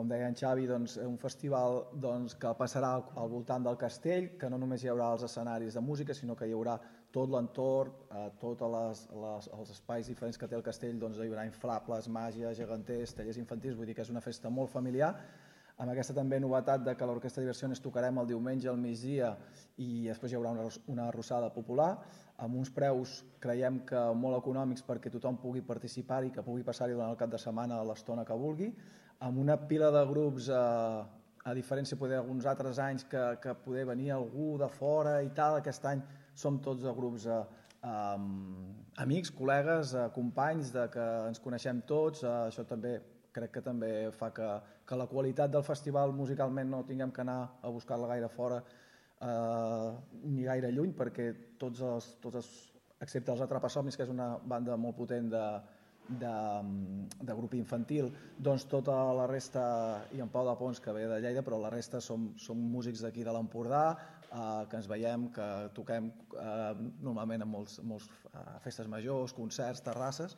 com deia en Xavi, un festival que passarà al voltant del castell, que no només hi haurà els escenaris de música, sinó que hi haurà tot l'entorn, tots els espais diferents que té el castell, hi haurà inflables, màgia, geganters, tallers infantils, vull dir que és una festa molt familiar, amb aquesta també novetat de que l'Orquestra Diversiones tocarem el diumenge al migdia i després hi haurà una arrossada popular, amb uns preus creiem que molt econòmics perquè tothom pugui participar i que pugui passar-hi durant el cap de setmana a l'estona que vulgui, amb una pila de grups, a diferència d'alguns altres anys que poder venir algú de fora i tal, aquest any som tots de grups amics, col·legues, companys, que ens coneixem tots, això també crec que també fa que la qualitat del festival musicalment no tinguem que anar a buscar-la gaire fora ni gaire lluny, perquè tots excepte els Atrapasomnis, que és una banda molt potent de grup infantil, tota la resta, i en Pau de Pons, que ve de Lleida, però la resta som músics d'aquí de l'Empordà, que ens veiem, que toquem normalment en moltes festes majors, concerts, terrasses,